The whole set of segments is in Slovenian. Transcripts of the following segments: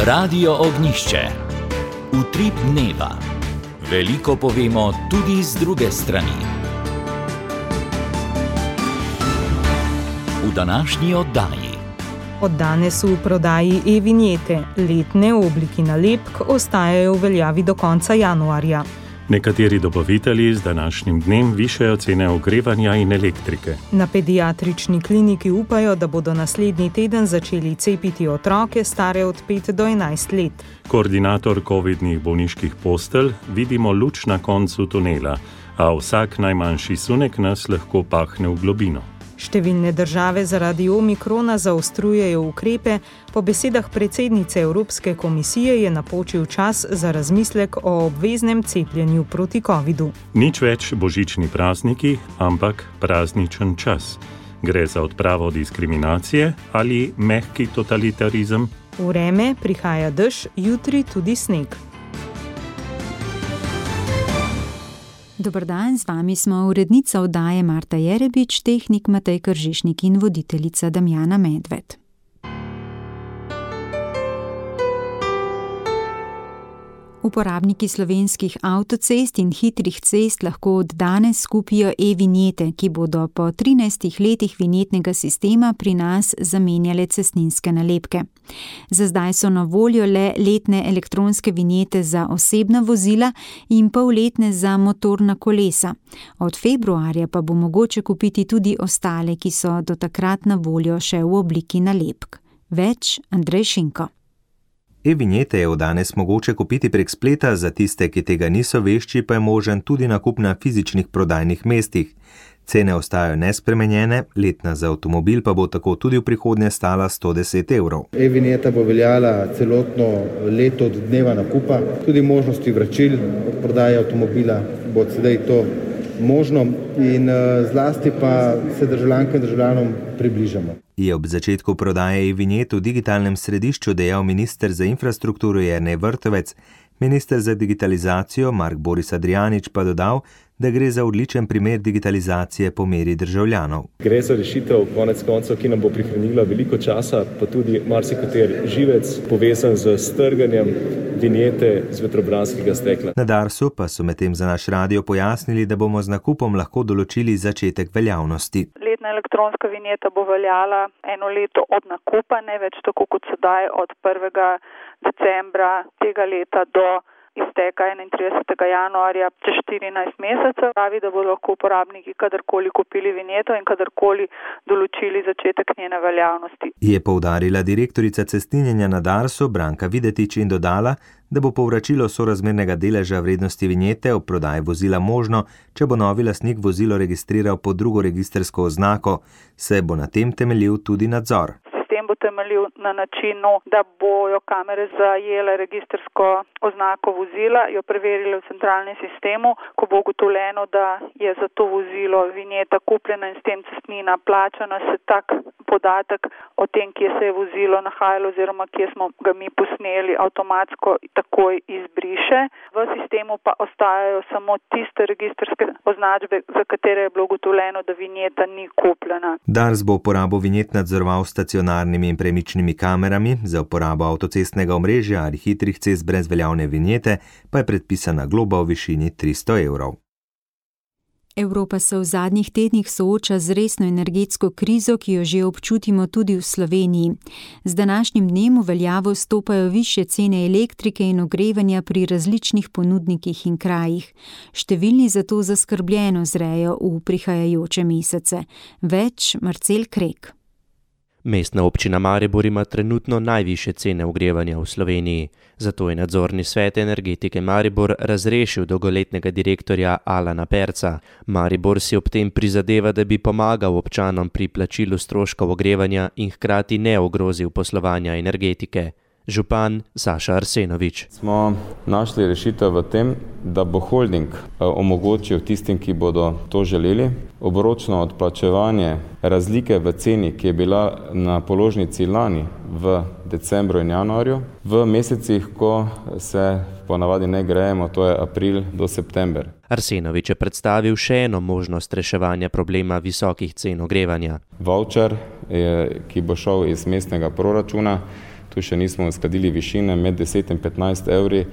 Radio Ognjišče. Utrip dneva. Veliko povemo tudi z druge strani. V današnji oddaji. Od danes v prodaji e-vinjete. Letne v obliki nalepk ostajajo v veljavi do konca januarja. Nekateri dobavitelji z današnjim dnem višajo cene ogrevanja in elektrike. Na pediatrični kliniki upajo, da bodo naslednji teden začeli cepiti otroke stare od 5 do 11 let. Koordinator covidnih bolniških postelj: vidimo luč na koncu tunela, a vsak najmanjši sunek nas lahko pahne v globino. Številne države zaradi omikrona zaostrujejo ukrepe. Po besedah predsednice Evropske komisije je napočil čas za razmislek o obveznem cepljenju proti covidu. Nič več božični prazniki, ampak prazničen čas. Gre za odpravo diskriminacije ali mehki totalitarizem? Vreme, prihaja dež, jutri tudi sneg. Dober dan, z vami smo urednica oddaje Marta Jerebič, tehnik Matej Kržišnik in voditeljica Damjana Medved. Uporabniki slovenskih avtocest in hitrih cest lahko od danes kupijo e-vinjete, ki bodo po 13 letih vinjetnega sistema pri nas zamenjale cestninske nalepke. Za zdaj so na voljo le letne elektronske vinjete za osebna vozila in polletne za motorna kolesa. Od februarja pa bo mogoče kupiti tudi ostale, ki so do takrat na voljo še v obliki nalepk. Več Andrej Šinko. E-vinjete je od danes mogoče kupiti prek spleta, za tiste, ki tega niso vešči, pa je možen tudi nakup na fizičnih prodajnih mestih. Cene ostajajo nespremenjene, letna za avtomobil pa bo tako tudi v prihodnje stala 110 evrov. E-vinjeta bo veljala celotno leto od dneva nakupa, tudi možnosti vračil od prodaje avtomobila bo sedaj to možno in zlasti pa se državljankam in državljanom približamo. Je ob začetku prodaje e-vinjet v digitalnem središču dejal minister za infrastrukturo Jernej Vrtovec. Minister za digitalizacijo Mark Boris Adrianič pa dodal, da gre za odličen primer digitalizacije po meri državljanov. Gre za rešitev konec koncev, ki nam bo prihranila veliko časa, pa tudi marsikater živec povezan z strganjem vinjete z vetrobranskega stekla. Na Darsu pa so medtem za naš radio pojasnili, da bomo z nakupom lahko določili začetek veljavnosti. Letna elektronska vinjeta bo veljala eno leto od nakupa, ne več tako kot sedaj od 1. decembra tega leta do izteka 31. januarja čez 14 mesecev. Pravi, da bodo lahko uporabniki kadarkoli kupili vinjeto in kadarkoli določili začetek njene veljavnosti. Je poudarila direktorica cestninjenja na Darsu Branka Videtič in dodala, da bo povračilo sorazmernega deleža vrednosti vinjete ob prodaji vozila možno, če bo novi lastnik vozilo registriral pod drugo registrsko oznako, saj bo na tem temeljil tudi nadzor. Sistem bo temeljil na načinu, da bojo kamere zajele registrsko oznako vozila, jo preverile v centralnem sistemu. Ko bo ugotovljeno, da je za to vozilo vinjeta kupljena in s tem cestnina plačana, se tak podatek o tem, kje se je vozilo nahajalo oziroma kje smo ga mi posneli, avtomatsko takoj izbriše. V sistemu pa ostajajo samo tiste registrske označbe, za katere je bilo ugotovljeno, da vinjeta ni kupljena. Dars bo uporabo vinjet nadzoroval stacionarnimi in premičnimi kamerami, za uporabo avtocestnega omrežja ali hitrih cest brez veljavne vinjete pa je predpisana globa v višini 300 evrov. Evropa se v zadnjih tednih sooča z resno energetsko krizo, ki jo že občutimo tudi v Sloveniji. Z današnjim dnem v veljavo stopajo višje cene elektrike in ogrevanja pri različnih ponudnikih in krajih. Številni zato zaskrbljeno zrejo v prihajajoče mesece. Več Marcel Krek. Mestna občina Maribor ima trenutno najvišje cene ogrevanja v Sloveniji. Zato je nadzorni svet energetike Maribor razrešil dolgoletnega direktorja Alana Perca. Maribor si ob tem prizadeva, da bi pomagal občanom pri plačilu stroškov ogrevanja in hkrati ne ogrozil poslovanja energetike. Župan Saša Arsenovič. Smo našli rešitev v tem, da bo holding omogočil tistim, ki bodo to želeli, obročno odplačevanje razlike v ceni, ki je bila na položnici lani v decembru in januarju, v mesecih, ko se ponavadi ne grejemo, to je april do september. Arsenovič je predstavil še eno možnost reševanja problema visokih cen ogrevanja. Voucher, ki bo šel iz mestnega proračuna, Tu še nismo uskladili višine med 10 in 15 evri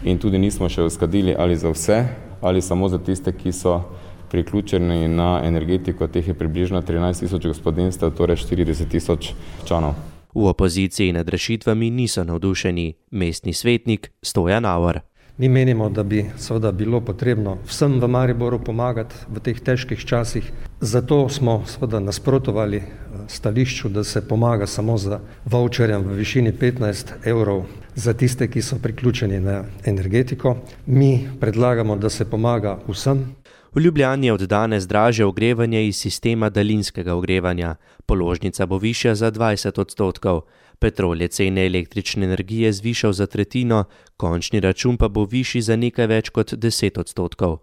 in tudi nismo še uskladili ali za vse, ali samo za tiste, ki so priključeni na energetiko, teh je približno 13 000 gospodinjstev, torej 40 000 članov. V opoziciji nad rešitvami niso navdušeni. Mestni svetnik Stojan Auer. Mi menimo, da bi seveda bilo potrebno vsem v Mariboru pomagati v teh težkih časih. Zato smo seveda nasprotovali stališču, da se pomaga samo za voucherjem v višini 15 evrov za tiste, ki so priključeni na energetiko. Mi predlagamo, da se pomaga vsem. V Ljubljani je od danes dražje ogrevanje iz sistema daljinskega ogrevanja. Položnica bo višja za 20%. Petrol je cene električne energije zvišal za tretjino, končni račun pa bo višji za nekaj več kot 10%.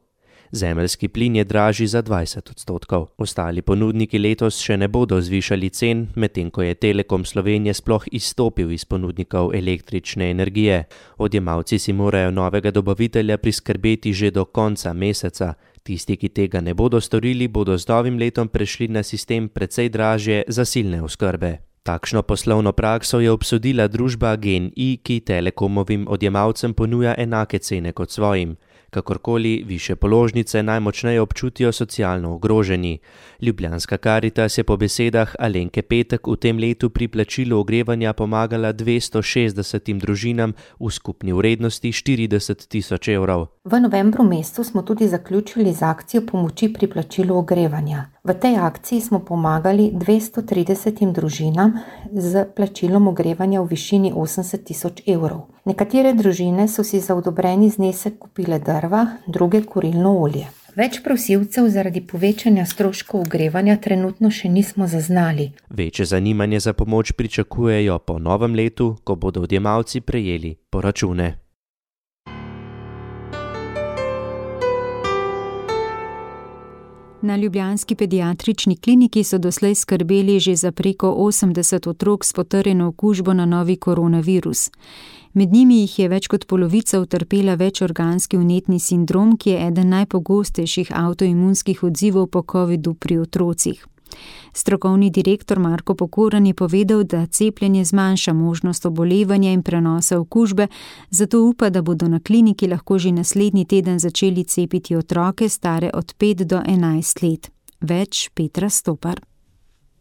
Zemeljski plin je dražji za 20%. Ostali ponudniki letos še ne bodo zvišali cen, medtem ko je Telekom Slovenije sploh izstopil iz ponudnikov električne energije. Odjemalci si morajo novega dobavitelja priskrbeti že do konca meseca. Tisti, ki tega ne bodo storili, bodo z novim letom prešli na sistem precej dražje zasilne oskrbe. Takšno poslovno prakso je obsodila družba GEN-I, ki Telekomovim odjemalcem ponuja enake cene kot svojim. Kakorkoli, višje položnice najmočneje občutijo socialno ogroženi. Ljubljanska Karitas je po besedah Alenke Petek v tem letu pri plačilu ogrevanja pomagala 260 družinam v skupni vrednosti 40 000 evrov. V novembru mesecu smo tudi zaključili z akcijo pomoči pri plačilu ogrevanja. V tej akciji smo pomagali 230 družinam z plačilom ogrevanja v višini 80 000 evrov. Nekatere družine so si za odobreni znesek kupile drva, druge kurilno olje. Več prosilcev zaradi povečanja stroškov ogrevanja trenutno še nismo zaznali. Večje zanimanje za pomoč pričakujejo po novem letu, ko bodo odjemalci prejeli poračune. Na ljubljanski pediatrični kliniki so doslej skrbeli že za preko 80 otrok s potrjeno okužbo na novi koronavirus. Med njimi jih je več kot polovica utrpela večorganski vnetni sindrom, ki je eden najpogostejših avtoimunskih odzivov po covidu pri otrocih. Strokovni direktor Marko Pokoran je povedal, da cepljenje zmanjša možnost obolevanja in prenosa okužbe, zato upa, da bodo na kliniki lahko že naslednji teden začeli cepiti otroke stare od 5 do 11 let. Več Petra Stopar.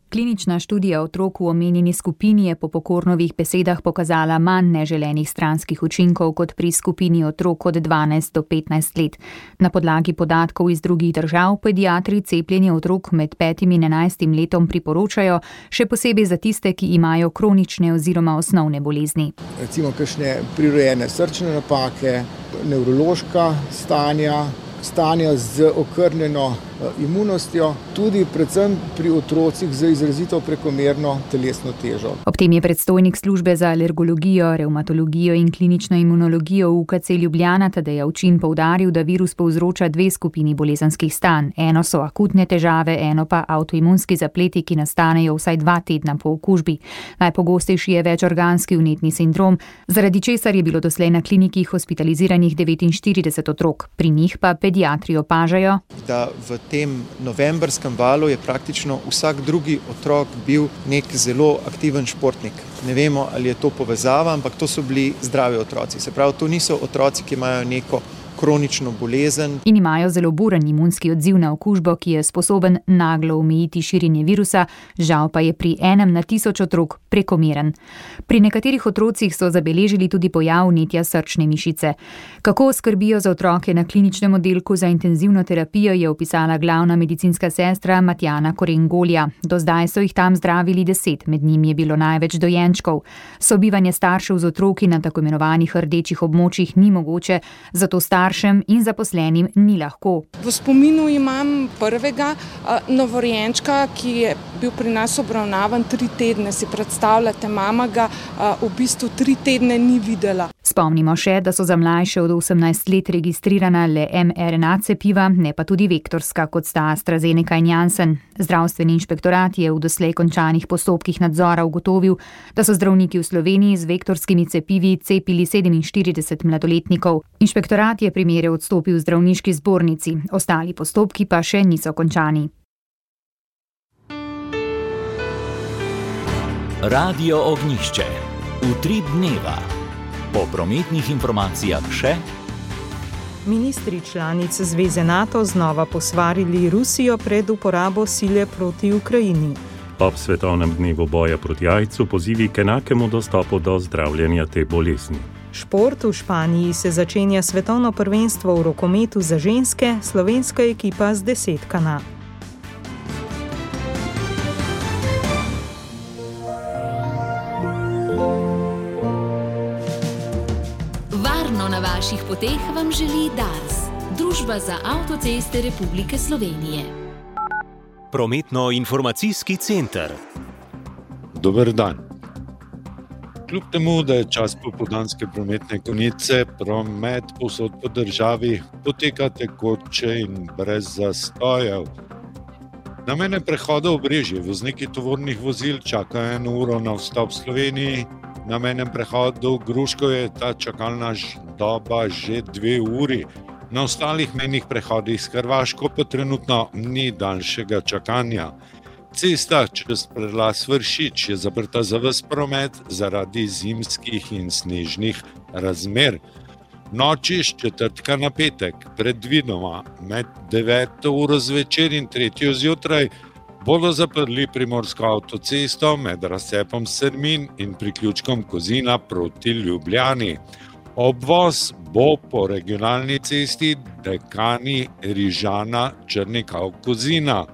Klinična študija otrok v omenjeni skupini je po Pokornovih besedah pokazala manj neželenih stranskih učinkov kot pri skupini otrok od 12 do 15 let. Na podlagi podatkov iz drugih držav pediatri cepljenje otrok med 5 in 11 letom priporočajo, še posebej za tiste, ki imajo kronične oziroma osnovne bolezni. Recimo kakšne prirojene srčne napake, nevrološka stanja z okrnjeno imunostjo, tudi predvsem pri otrocih z izrazito prekomerno telesno težo. Ob tem je predstojnik službe za alergologijo, revmatologijo in klinično imunologijo v UKC Ljubljana Tadej Avčin poudaril, da virus povzroča dve skupini bolezenskih stanj. Eno so akutne težave, eno pa avtoimunski zapleti, ki nastanejo vsaj 2 tedna po okužbi. Najpogostejši je večorganski vnetni sindrom, zaradi česar je bilo doslej na kliniki hospitaliziranih 49 otrok. Pri njih pa pediatri opažajo, da v tem novembrskem valu je praktično vsak drugi otrok bil nek zelo aktiven športnik. Ne vemo, ali je to povezava, ampak to so bili zdravi otroci. Se pravi, to niso otroci, ki imajo neko kronično bolezen. In imajo zelo buren imunski odziv na okužbo, ki je sposoben naglo omejiti širjenje virusa, žal pa je pri 1 na 1000 otrok prekomeren. Pri nekaterih otrocih so zabeležili tudi pojav vnetja srčne mišice. Kako skrbijo za otroke na kliničnem oddelku za intenzivno terapijo, je opisala glavna medicinska sestra Matjana Korengolja. Do zdaj so jih tam zdravili 10, med njimi je bilo največ dojenčkov. Sobivanje staršev z otroki na tako imenovanih rdečih območjih ni mogoče, zato staršem in zaposlenim ni lahko. V spominu imam prvega novorojenčka, ki je bil pri nas obravnavan 3 tedne. Si predstavljate, mama ga v bistvu 3 tedne ni videla. Spomnimo še, da so za mlajše od 18 let registrirana le mRNA cepiva, ne pa tudi vektorska, kot sta AstraZeneca in Janssen. Zdravstveni inšpektorat je v doslej končanih postopkih nadzora ugotovil, da so zdravniki v Sloveniji z vektorskimi cepivi cepili 47 mladoletnikov. Inšpektorat je primere odstopil zdravniški zbornici, ostali postopki pa še niso končani. Radio Ognjišče. Utrip dneva. Po prometnih informacijah še. Ministri članic Zveze NATO znova posvarili Rusijo pred uporabo sile proti Ukrajini. Ob svetovnem dnevu boja proti AIDS-u pozivi k enakemu dostopu do zdravljenja te bolezni. Šport v Španiji se začenja svetovno prvenstvo v rokometu za ženske, slovenska ekipa z 10. Varno na vaših poteh vam želi Dars, Družba za avtoceste Republike Slovenije. Prometno-informacijski center. Dober dan. Kljub temu, da je čas popoldanske prometne konice, promet povsod po državi poteka tekoče in brez zastojev. Na mejnem prehodu Obrežje vozniki tovornih vozil čakajo 1 uro na vstop v Sloveniji, na mejnem prehodu Gruško je ta čakalna doba že 2 uri. Na ostalih mejnih prehodih s Hrvaško pa trenutno ni daljšega čakanja. Cesta čez prelaz Vršič je zaprta za ves promet zaradi zimskih in snežnih razmer. Noči s četrtka na petek, predvidoma med 9. uro zvečer in 3. zjutraj, bodo zaprli Primorsko avtocesto med razcepom Sermin in priključkom Kozina proti Ljubljani. Obvoz bo po regionalni cesti Dekani Rižana Črnikav-Kozina.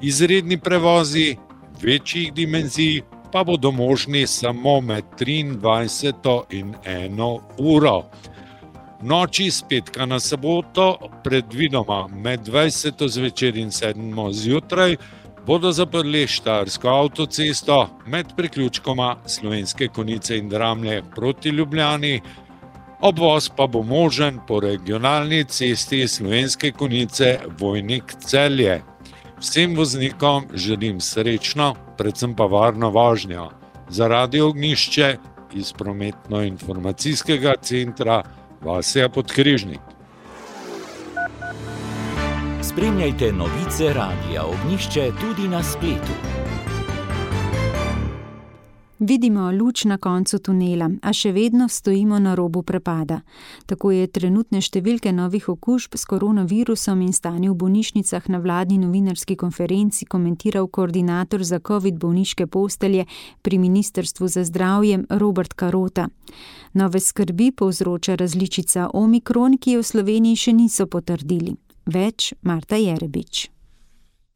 Izredni prevozi večjih dimenzij pa bodo možni samo med 23. in 1. uro. Noči s petka na soboto, predvidoma med 20. zvečer in 7. zjutraj, bodo zaprli Štajersko avtocesto med priključkoma Slovenske Konjice in Dramlje proti Ljubljani. Obvoz pa bo možen po regionalni cesti Slovenske Konjice Vojnik-Celje. Vsem voznikom želim srečno, predvsem pa varno vožnjo. Za Radio Ognjišče iz prometno-informacijskega centra Vasja Podkrižnik. Spremljajte novice Radia Ognjišče tudi na spletu. Vidimo luč na koncu tunela, a še vedno stojimo na robu prepada. Tako je trenutne številke novih okužb s koronavirusom in stanje v bolnišnicah na vladni novinarski konferenci komentiral koordinator za COVID bolniške postelje pri Ministrstvu za zdravje Robert Karota. Nove skrbi povzroča različica Omikron, ki je v Sloveniji še niso potrdili. Več Marta Jerebič.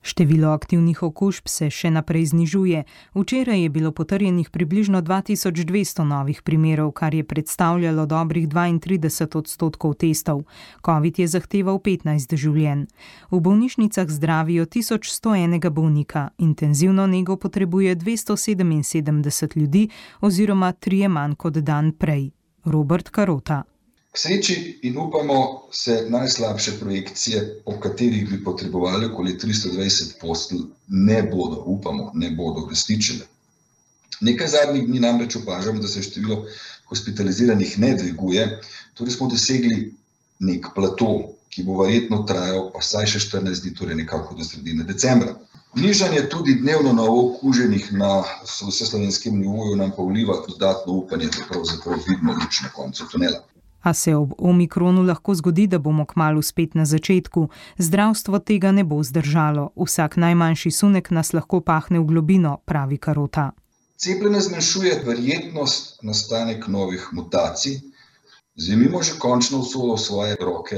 Število aktivnih okužb se še naprej znižuje. Včeraj je bilo potrjenih približno 2200 novih primerov, kar je predstavljalo dobrih 32% testov. COVID je zahteval 15 življenj. V bolnišnicah zdravijo 1101 bolnika, intenzivno nego potrebuje 277 ljudi oziroma 3 manj kot dan prej. Robert Karota. K sreči in upamo se najslabše projekcije, po katerih bi potrebovali okoli 320 postelj, ne bodo uresničene. Nekaj zadnjih dni namreč opažamo, da se število hospitaliziranih ne dviguje, torej smo dosegli nek plato, ki bo verjetno trajal vsaj še 14 dni, torej nekako do sredine decembra. Nižanje tudi dnevno novo okuženih na vseslovenskem nivoju nam pa vliva dodatno upanje, da pravzaprav vidimo luč na koncu tunela. A se ob Omikronu lahko zgodi, da bomo kmalu spet na začetku. Zdravstvo tega ne bo zdržalo. Vsak najmanjši sunek nas lahko pahne v globino, pravi Karota. Cepljenje zmanjšuje verjetnost nastanek novih mutacij. Vzemimo že končno usodo v svoje roke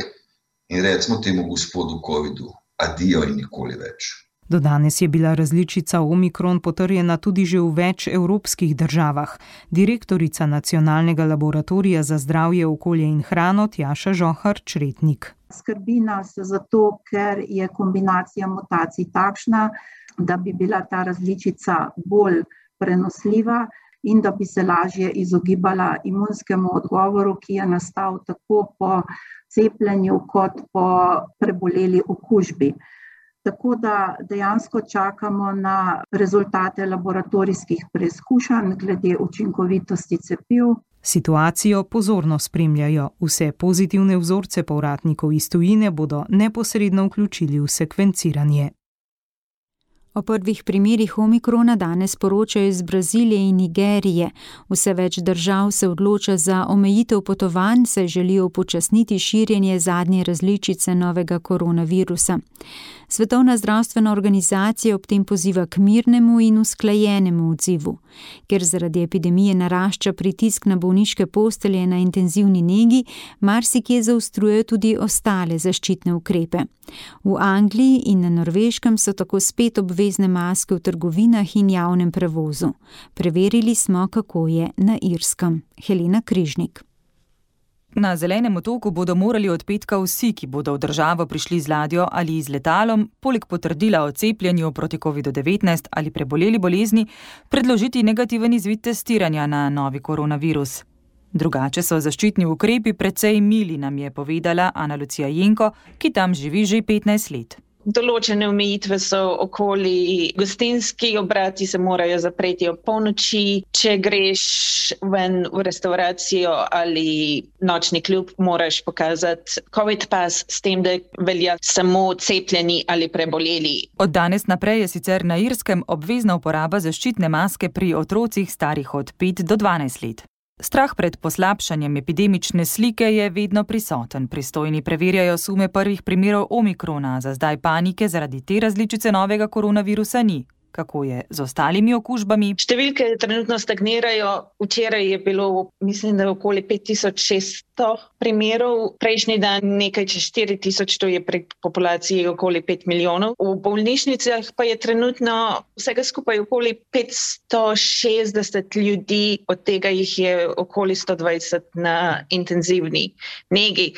in recimo temu gospodu Covidu adijo in nikoli več. Do danes je bila različica Omikron potrjena tudi že v več evropskih državah. Direktorica Nacionalnega laboratorija za zdravje, okolje in hrano Tjaša Žohar-Čretnik. Skrbi nas zato, ker je kombinacija mutacij takšna, da bi bila ta različica bolj prenosljiva in da bi se lažje izogibala imunskemu odgovoru, ki je nastal tako po cepljenju kot po preboleli okužbi. Tako da dejansko čakamo na rezultate laboratorijskih preizkušanj glede učinkovitosti cepiv. Situacijo pozorno spremljajo. Vse pozitivne vzorce povratnikov iz tujine bodo neposredno vključili v sekvenciranje. O prvih primerih omikrona danes poročajo iz Brazilije in Nigerije. Vse več držav se odloča za omejitev potovanj, saj želijo upočasniti širjenje zadnje različice novega koronavirusa. Svetovna zdravstvena organizacija ob tem poziva k mirnemu in usklajenemu odzivu. Ker zaradi epidemije narašča pritisk na bolniške postelje na intenzivni negi, marsikje zaostrujejo tudi ostale zaščitne ukrepe. V Angliji in na Norveškem so tako spet obvezne maske v trgovinah in javnem prevozu. Preverili smo, kako je na Irskem. Helena Križnik. Na Zelenem otoku bodo morali od petka vsi, ki bodo v državo prišli z ladjo ali z letalom, poleg potrdila o cepljenju proti COVID-19 ali preboleli bolezni, predložiti negativen izvid testiranja na novi koronavirus. Drugače so zaščitni ukrepi precej mili, nam je povedala Ana Lucija Jenko, ki tam živi že 15 let. Določene omejitve so okoli, gostinski obrati se morajo zapreti ob polnoči, če greš ven v restauracijo ali nočni klub, moraš pokazati COVID pas, s tem, da velja samo cepljeni ali preboleli. Od danes naprej je sicer na Irskem obvezna uporaba zaščitne maske pri otrocih starih od 5 do 12 let. Strah pred poslabšanjem epidemične slike je vedno prisoten. Pristojni preverjajo sume prvih primerov omikrona, za zdaj panike zaradi te različice novega koronavirusa ni. Kako je z ostalimi okužbami? Številke trenutno stagnirajo. Včeraj je bilo, mislim, da okoli 5600 primerov. Prejšnji dan nekaj čez 4000, to je pri populaciji okoli 5 milijonov. V bolnišnicah pa je trenutno vsega skupaj okoli 560 ljudi, od tega jih je okoli 120 na intenzivni negi.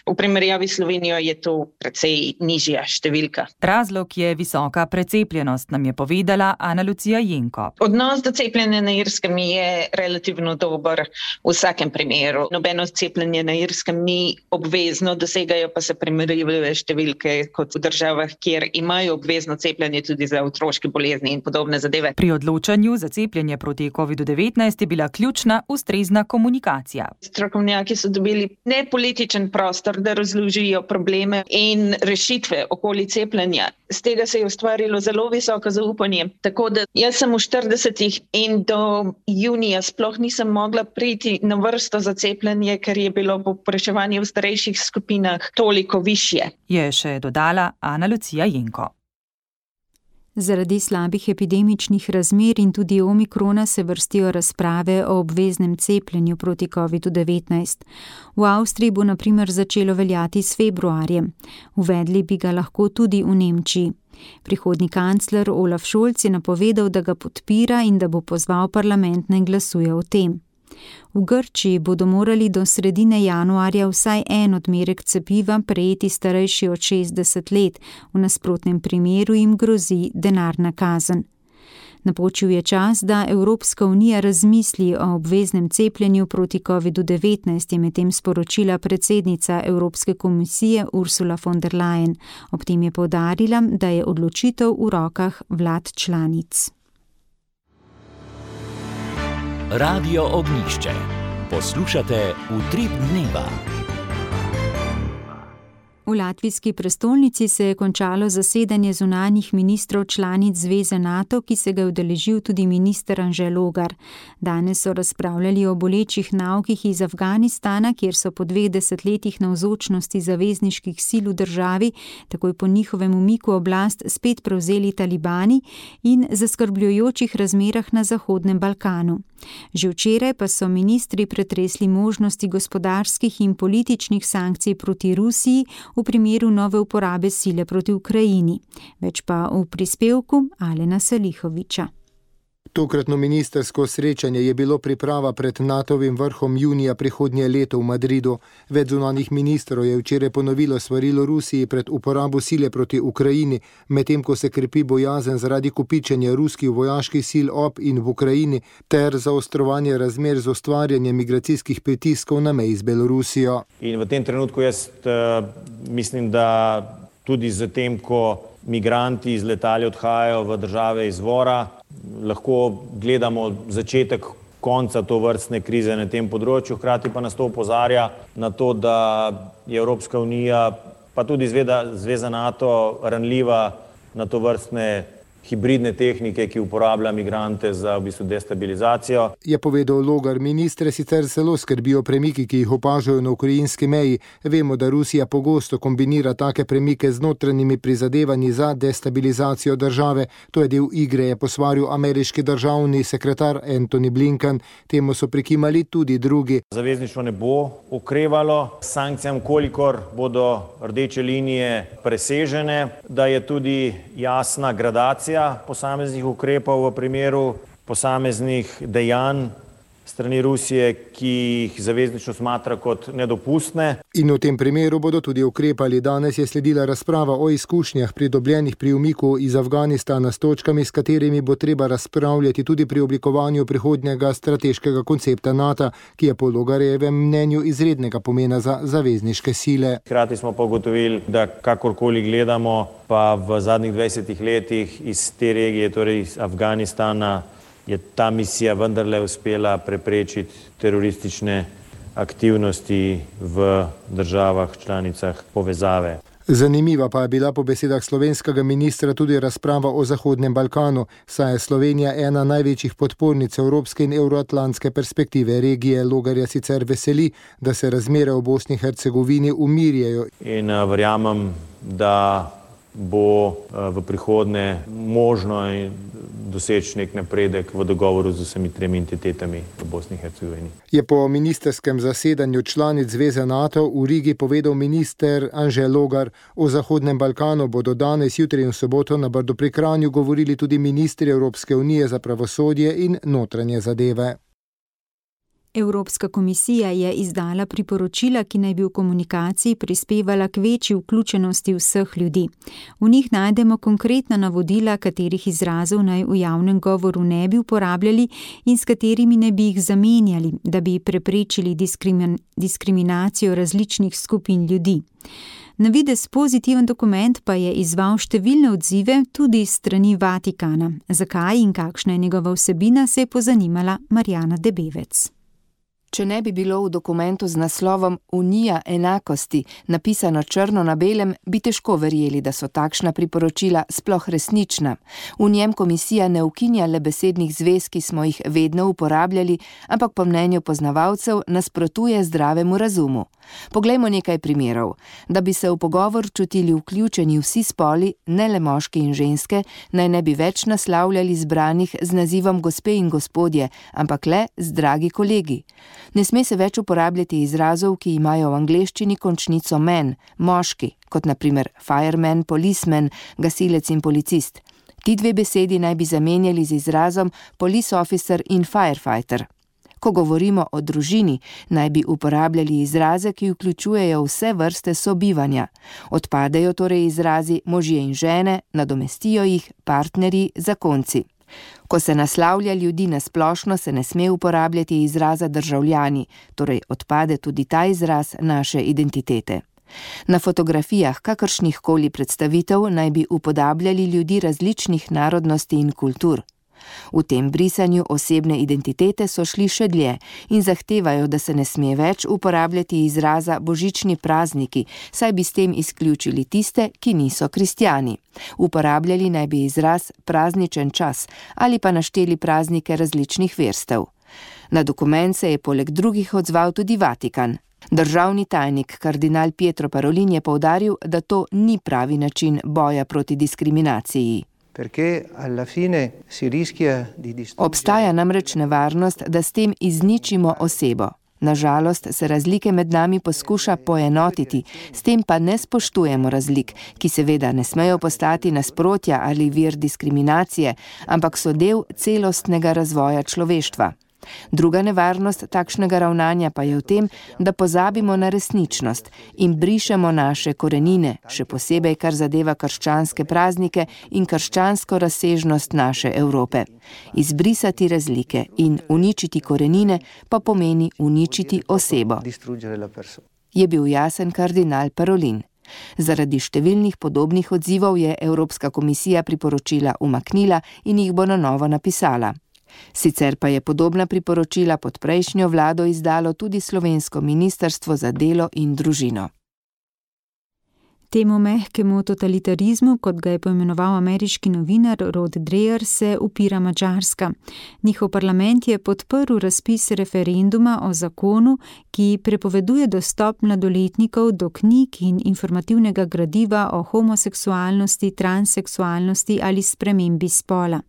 V primerjavi s Slovenijo je to precej nižja številka. Razlog je visoka precepljenost, nam je povedala Ana Lucija Jenko. Odnos do cepljenja na Irskem je relativno dober v vsakem primeru. Nobeno cepljenje na Irskem ni obvezno, dosegajo pa se primerljive številke kot v državah, kjer imajo obvezno cepljenje tudi za otroške bolezni in podobne zadeve. Pri odločanju za cepljenje proti COVID-19 je bila ključna ustrezna komunikacija. Strokovnjaki so dobili nepolitičen prostor, da razložijo probleme in rešitve okoli cepljenja. Z tega se je ustvarilo zelo visoko zaupanje. Tako da jaz sem v 40 in do junija sploh nisem mogla priti na vrsto za cepljenje, ker je bilo povpraševanje v starejših skupinah toliko višje. Je še dodala Ana Lucija Jenko. Zaradi slabih epidemičnih razmer in tudi omikrona se vrstijo razprave o obveznem cepljenju proti COVID-19. V Avstriji bo na primer začelo veljati s februarjem. Uvedli bi ga lahko tudi v Nemčiji. Prihodnji kancler Olaf Scholz je napovedal, da ga podpira in da bo pozval parlament naj glasuje o tem. V Grčiji bodo morali do sredine januarja vsaj en odmerek cepiva prejeti starejši od 60 let, v nasprotnem primeru jim grozi denarna kazen. Napočil je čas, da Evropska unija razmisli o obveznem cepljenju proti COVID-19, je medtem sporočila predsednica Evropske komisije Ursula von der Leyen. Ob tem je poudarila, da je odločitev v rokah vlad članic. Radio Ognjišče. Poslušate Utrip dneva. V latvijski prestolnici se je končalo zasedanje zunanjih ministrov članic Zveze NATO, ki se ga je udeležil tudi minister Anže Logar. Danes so razpravljali o bolečih naukih iz Afganistana, kjer so po 2 desetletjih navzočnosti zavezniških sil v državi, takoj po njihovem umiku oblast spet prevzeli talibani, in zaskrbljujočih razmerah na Zahodnem Balkanu. Že včeraj pa so ministri pretresli možnosti gospodarskih in političnih sankcij proti Rusiji v primeru nove uporabe sile proti Ukrajini. Več pa v prispevku Alena Salihoviča. Tokratno ministersko srečanje je bilo priprava pred NATO-vim vrhom junija prihodnje leto v Madridu. Več zunanjih ministrov je včeraj ponovilo svarilo Rusiji pred uporabo sile proti Ukrajini, medtem ko se krepi bojazen zaradi kopičenja ruskih vojaških sil ob in v Ukrajini ter zaostrovanje razmer z ustvarjanjem migracijskih pritiskov na meji z Belorusijo. In v tem trenutku jaz mislim, da tudi z tem, ko migranti iz letali odhajajo v države izvora, lahko gledamo začetek konca tovrstne krize na tem področju, hkrati pa nas to opozarja na to, da je Evropska unija, pa tudi Zveza NATO ranljiva na tovrstne hibridne tehnike, ki uporablja migrante za v bistvu destabilizacijo. Je povedal Logar. Ministre sicer zelo skrbijo premiki, ki jih opažajo na ukrajinski meji. Vemo, da Rusija pogosto kombinira take premike z notranjimi prizadevanji za destabilizacijo države. To je del igre, je posvaril ameriški državni sekretar Antony Blinken. Temu so prikimali tudi drugi. Zavezništvo ne bo okrevalo sankcijam, kolikor bodo rdeče linije presežene, da je tudi jasna gradacija posameznih ukrepov v primeru posameznih dejanj strani Rusije, ki jih zavezništvo smatra kot nedopustne. In v tem primeru bodo tudi ukrepali. Danes je sledila razprava o izkušnjah pridobljenih pri umiku iz Afganistana s točkami, s katerimi bo treba razpravljati tudi pri oblikovanju prihodnjega strateškega koncepta NATO, ki je po Logarjevem mnenju izrednega pomena za zavezniške sile. Hkrati smo pa ugotovili, da kakorkoli gledamo, pa v zadnjih 20 letih iz te regije, torej iz Afganistana, je ta misija vendarle uspela preprečiti teroristične aktivnosti v državah članicah povezave. Zanimiva pa je bila po besedah slovenskega ministra tudi razprava o Zahodnem Balkanu, saj je Slovenija ena največjih podpornic evropske in evroatlantske perspektive regije. Logarja sicer veseli, da se razmere v Bosni in Hercegovini umirjajo. In verjamem, da bo v prihodnje možno doseči nek napredek v dogovoru z vsemi tremi entitetami v Bosni in Hercegovini. Je po ministerskem zasedanju članic Zveze NATO v Rigi povedal minister Anže Logar. O Zahodnem Balkanu bodo danes, jutri in v soboto na Brdu pri Kranju govorili tudi ministri Evropske unije za pravosodje in notranje zadeve. Evropska komisija je izdala priporočila, ki naj bi v komunikaciji prispevala k večji vključenosti vseh ljudi. V njih najdemo konkretna navodila, katerih izrazov naj v javnem govoru ne bi uporabljali in s katerimi naj bi jih zamenjali, da bi preprečili diskriminacijo različnih skupin ljudi. Na videz pozitiven dokument pa je izzval številne odzive tudi strani Vatikana. Zakaj in kakšna je njegova vsebina, se je pozanimala Marjana Debevec. Če ne bi bilo v dokumentu z naslovom Unija enakosti napisano črno na belem, bi težko verjeli, da so takšna priporočila sploh resnična. V njem komisija ne ukinja le besednih zvez, ki smo jih vedno uporabljali, ampak po mnenju poznavalcev nasprotuje zdravemu razumu. Poglejmo nekaj primerov. Da bi se v pogovor čutili vključeni vsi spoli, ne le moški in ženske, naj ne bi več naslavljali zbranih z nazivom gospe in gospodje, ampak le z dragi kolegi. Ne sme se več uporabljati izrazov, ki imajo v angleščini končnico man, moški, kot na primer fireman, policeman, gasilec in policist. Ti dve besedi naj bi zamenjali z izrazom police officer in firefighter. Ko govorimo o družini, naj bi uporabljali izraze, ki vključujejo vse vrste sobivanja. Odpadejo torej izrazi možje in žene, nadomestijo jih partnerji, zakonci. Ko se naslavlja ljudi na splošno, se ne sme uporabljati izraza državljani, torej odpade tudi ta izraz naše identitete. Na fotografijah kakršnihkoli predstavitev naj bi upodabljali ljudi različnih narodnosti in kultur. V tem brisanju osebne identitete so šli še dlje in zahtevajo, da se ne sme več uporabljati izraza božični prazniki, saj bi s tem izključili tiste, ki niso kristjani. Uporabljali naj bi izraz prazničen čas ali pa našteli praznike različnih verstev. Na dokument se je poleg drugih odzval tudi Vatikan. Državni tajnik kardinal Pietro Parolin je poudaril, da to ni pravi način boja proti diskriminaciji. Obstaja namreč nevarnost, da s tem izničimo osebo. Nažalost se razlike med nami poskuša poenotiti, s tem pa ne spoštujemo razlik, ki seveda ne smejo postati nasprotja ali vir diskriminacije, ampak so del celostnega razvoja človeštva. Druga nevarnost takšnega ravnanja pa je v tem, da pozabimo na resničnost in brišemo naše korenine, še posebej kar zadeva krščanske praznike in krščansko razsežnost naše Evrope. Izbrisati razlike in uničiti korenine pa pomeni uničiti osebo, je bil jasen kardinal Parolin. Zaradi številnih podobnih odzivov je Evropska komisija priporočila umaknila in jih bo na novo napisala. Sicer pa je podobna priporočila pod prejšnjo vlado izdalo tudi slovensko ministrstvo za delo in družino. Temu mehkemu totalitarizmu, kot ga je poimenoval ameriški novinar Rod Dreher, se upira Madžarska. Njihov parlament je podprl razpis referenduma o zakonu, ki prepoveduje dostop mladoletnikov do knjig in informativnega gradiva o homoseksualnosti, transseksualnosti ali spremembi spola.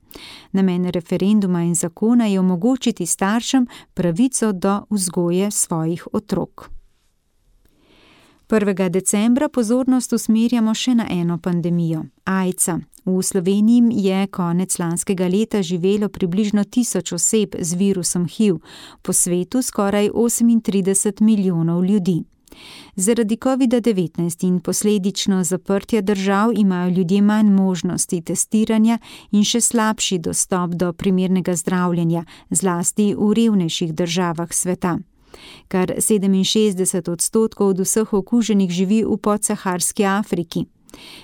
Namen referenduma in zakona je omogočiti staršem pravico do vzgoje svojih otrok. 1. decembra pozornost usmerjamo še na eno pandemijo, AIDS-a. V Sloveniji je konec lanskega leta živelo približno 1000 oseb z virusom HIV, po svetu skoraj 38 milijonov ljudi. Zaradi COVID-19 in posledično zaprtja držav imajo ljudje manj možnosti testiranja in še slabši dostop do primernega zdravljenja, zlasti v revnejših državah sveta. Kar 67% od vseh okuženih živi v podsaharski Afriki.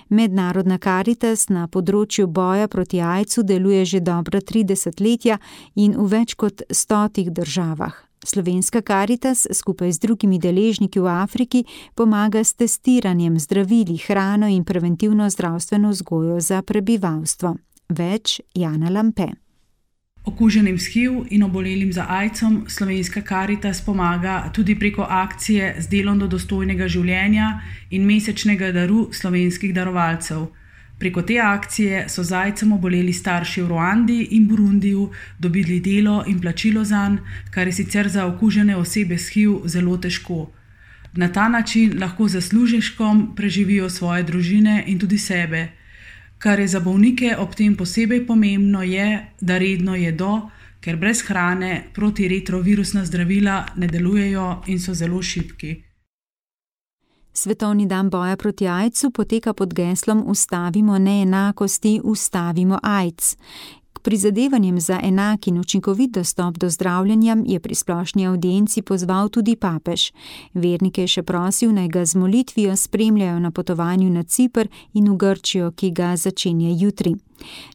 Mednarodna Karitas na področju boja proti AIDS-u deluje že dobra 3 desetletja in v več kot 100 državah. Slovenska Karitas skupaj z drugimi deležniki v Afriki pomaga s testiranjem, zdravili, hrano in preventivno zdravstveno vzgojo za prebivalstvo. Več Jana Lampe. Okuženim s HIV in obolelim za AIDS-om Slovenska Karitas pomaga tudi preko akcije z delom do dostojnega življenja in mesečnega daru slovenskih darovalcev. Preko te akcije so z AIDS-om oboleli starši v Ruandi in Burundiju dobili delo in plačilo zanj, kar je sicer za okužene osebe s HIV zelo težko. Na ta način lahko z zaslužkom preživijo svoje družine in tudi sebe. Kar je za bolnike ob tem posebej pomembno je, da redno jedo, ker brez hrane protiretrovirusna zdravila ne delujejo in so zelo šibki. Svetovni dan boja proti AIDS-u poteka pod geslom Ustavimo neenakosti, ustavimo AIDS. K prizadevanjem za enak in učinkovit dostop do zdravljenja je pri splošni avdienci pozval tudi papež. Vernike je še prosil, naj ga z molitvijo spremljajo na potovanju na Ciper in v Grčijo, ki ga začenja jutri.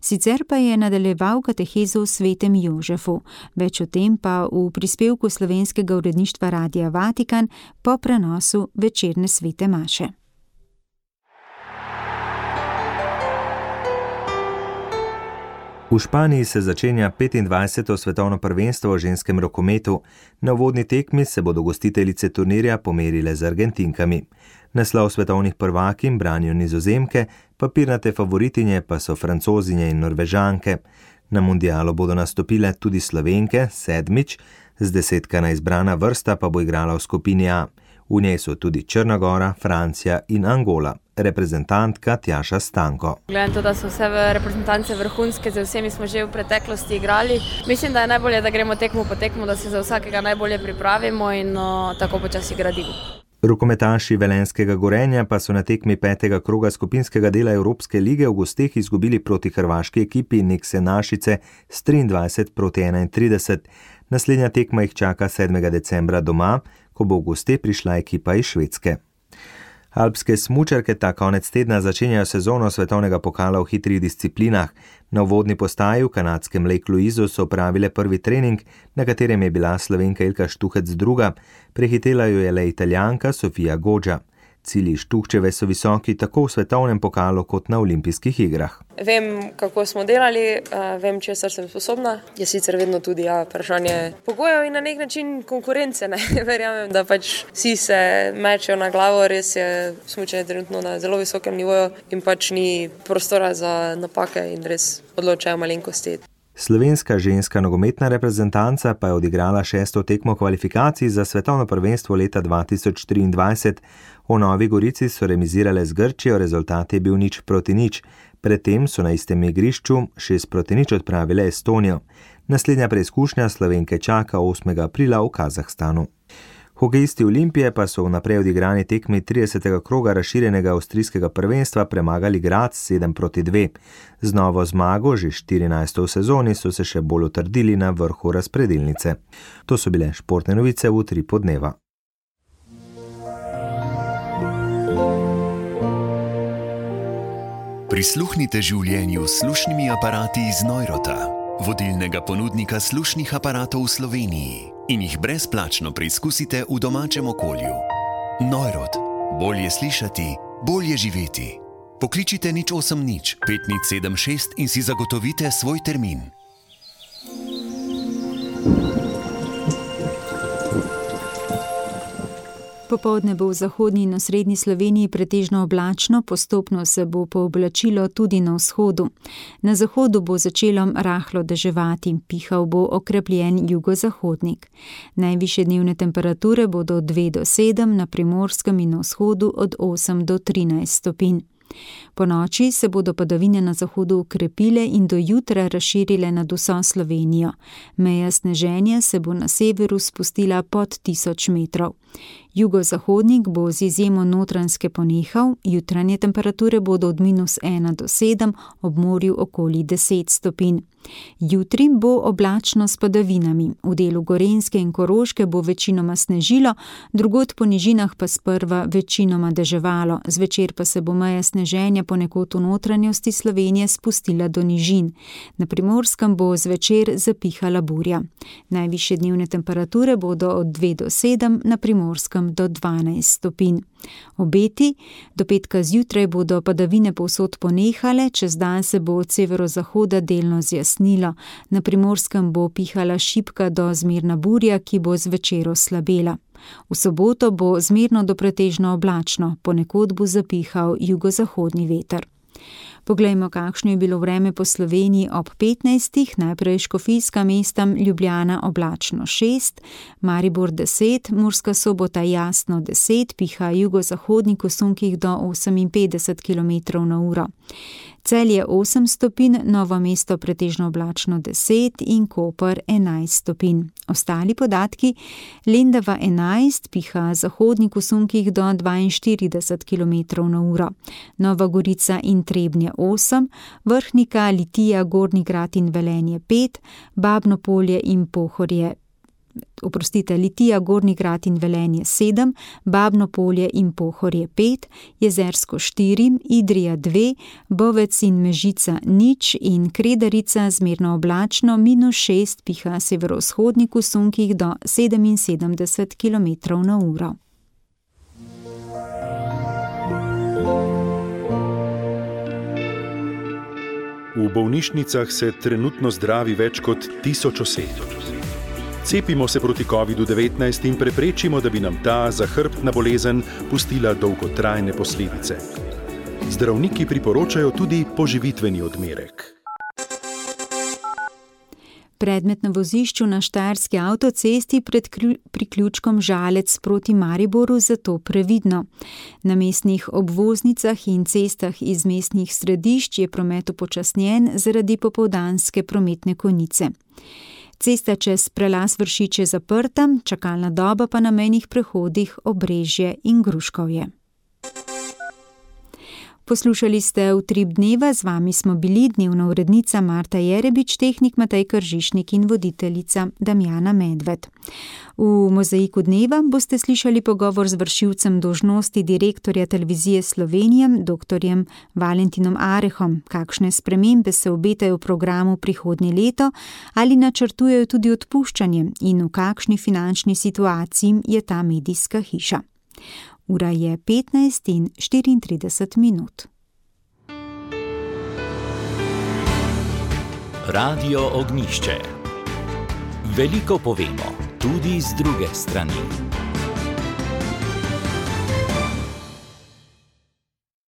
Sicer pa je nadaljeval katehezo v Svetem Jožefu. Več o tem pa v prispevku slovenskega uredništva Radia Vatikan po prenosu večerne svete maše. V Španiji se začenja 25. svetovno prvenstvo v ženskem rokometu. Na uvodni tekmi se bodo gostiteljice turnirja pomerile z Argentinkami. Naslov svetovnih prvakinj branijo Nizozemke, papirnate favoritinje pa so Francozinje in Norvežanke. Na mundialu bodo nastopile tudi Slovenke, 7. Zdesetkana izbrana vrsta pa bo igrala v skupini A. V njej so tudi Črna Gora, Francija in Angola. Reprezentantka Tjaša Stanko. Gledam to, da so vse reprezentance vrhunske, z vsemi smo že v preteklosti igrali. Mislim, da je najbolje, da gremo tekmo po tekmo, da se za vsakega najbolje pripravimo in tako počasi gradimo. Rokometaši Velenjskega Gorenja pa so na tekmi 5. kroga skupinskega dela Evropske lige v gosteh izgubili proti hrvaški ekipi Nekse Našice s 23-31. Naslednja tekma jih čaka 7. decembra doma, ko bo v goste prišla ekipa iz Švedske. Alpske smučarke ta konec tedna začenjajo sezono svetovnega pokala v hitrih disciplinah. Na uvodni postaji v kanadskem Lake Louisu so opravile prvi trening, na katerem je bila Slovenka Ilka Štuhec druga. Prehitela jo je le Italijanka Sofia Goggia. Cilji Štuhčeve so visoki tako v svetovnem pokalu kot na olimpijskih igrah. Vem, kako smo delali, vem, česar sem sposobna. Je sicer vedno tudi vprašanje pogojev in na nek način konkurence. Verjamem, da vsi se mečejo na glavo, res je smučanje trenutno na zelo visokem nivoju in ni prostora za napake in res odločajo malenkosti. Slovenska ženska nogometna reprezentanca pa je odigrala 6. tekmo kvalifikacij za svetovno prvenstvo leta 2023. V Novi Gorici so remizirale z Grčijo, rezultat je bil 0-0. Predtem so na istem igrišču 6-0 odpravile Estonijo. Naslednja preizkušnja Slovenke čaka 8. aprila v Kazahstanu. Hokejisti Olimpije pa so v naprej odigrani tekmi 30. kroga razširjenega avstrijskega prvenstva premagali Graz 7-2. Z novo zmago, že 14. v sezoni, so se še bolj utrdili na vrhu razpredelnice. To so bile športne novice v Utripu dneva. Prisluhnite življenju s slušnimi aparati iz Neurota, vodilnega ponudnika slušnih aparatov v Sloveniji, in jih brezplačno preizkusite v domačem okolju. Neurot. Bolje slišati, Bolje živeti. Pokličite 080 5076 in si zagotovite svoj termin. Popoldne bo v zahodnji in osrednji Sloveniji pretežno oblačno, postopno se bo pooblačilo tudi na vzhodu. Na zahodu bo začelo rahlo deževati, pihal bo okrepljen jugozahodnik. Najvišje dnevne temperature bodo od 2 do 7, na Primorskem in na vzhodu od 8 do 13 stopinj. Po noči se bodo padavine na zahodu ukrepile in do jutra razširile nad vso Slovenijo. Meja sneženja se bo na severu spustila pod 1000 metrov. Jugozahodnik bo z izjemo Notranjske ponehal, jutranje temperature bodo od -1 do 7, ob morju okoli 10 stopinj. Jutri bo oblačno s padavinami, v delu Gorenjske in Koroške bo večinoma snežilo, drugod po nižinah pa sprva večinoma deževalo, zvečer pa se bo meja sneženja ponekod v notranjosti Slovenije spustila do nižin. Na Primorskem bo zvečer zapihala burja. Najvišje dnevne temperature bodo od 2 do 7, na Primorskem do 12 stopinj. Obeti: do petka zjutraj bodo padavine povsod ponehale, čez dan se bo od severozahoda delno zjasnilo. Na Primorskem bo pihala šibka do zmerna burja, ki bo zvečer oslabela. V soboto bo zmerno do pretežno oblačno, ponekod bo zapihal jugozahodni veter. Poglejmo, kakšno je bilo vreme po Sloveniji ob 15. Najprej Škofijska mesta, Ljubljana oblačno 6, Maribor 10, Murska Sobota jasno 10, piha jugozahodnik v sunkih do 58 km/h. Celje 8 stopinj, Novo mesto pretežno oblačno 10 in Koper 11 stopinj. Ostali podatki: Lendava 11, piha zahodnik v sunkih do 42 km/h. Nova Gorica in Trebnje 8, Vrhnika, Litija, Gornji Grad in Velenje 5, Babno Polje in Pohorje Litija, Gornji Grad in Velenje 7, Babno Polje in Pohorje 5, Jezersko 4, Idrija 2, Bovec in Mežica 0 in Kredarica zmerno oblačno -6, piha severovzhodnik v sunkih do 77 km/h. V bolnišnicah se trenutno zdravi več kot 1000 oseb. Cepimo se proti COVID-19 in preprečimo, da bi nam ta zahrbtna bolezen pustila dolgotrajne posledice. Zdravniki priporočajo tudi poživitveni odmerek. Predmet na vozišču na štajerski avtocesti pred priključkom Žalec proti Mariboru, zato previdno. Na mestnih obvoznicah in cestah iz mestnih središč je promet upočasnjen zaradi popoldanske prometne konice. Cesta čez prelaz Vršič je zaprta, čakalna doba pa na mejnih prehodih Obrežje in Gruškovje. Poslušali ste Utrip dneva, z vami smo bili dnevna urednica Marta Jerebič, tehnik Matej Kržišnik in voditeljica Damjana Medved. V Mozaiku dneva boste slišali pogovor z vršilcem dolžnosti direktorja Televizije Slovenije, dr. Valentinom Arehom. Kakšne spremembe se obetajo v programu prihodnje leto, ali načrtujejo tudi odpuščanje in v kakšni finančni situaciji je ta medijska hiša. Ura je 15:34. Radio Ognjišče. Veliko povemo, tudi z druge strani.